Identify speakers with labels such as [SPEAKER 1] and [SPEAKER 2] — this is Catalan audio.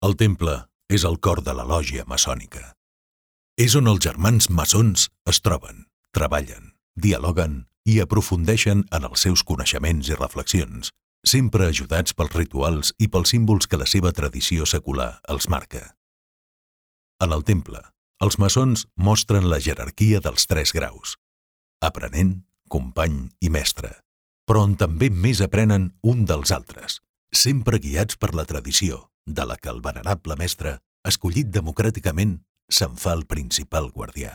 [SPEAKER 1] El temple és el cor de la lògia maçònica. És on els germans maçons es troben, treballen, dialoguen i aprofundeixen en els seus coneixements i reflexions, sempre ajudats pels rituals i pels símbols que la seva tradició secular els marca. En el temple, els maçons mostren la jerarquia dels 3 graus: aprenent, company i mestre, però on també més aprenen un dels altres, sempre guiats per la tradició, de la que el venerable mestre, escollit democràticament, se'n fa el principal guardià.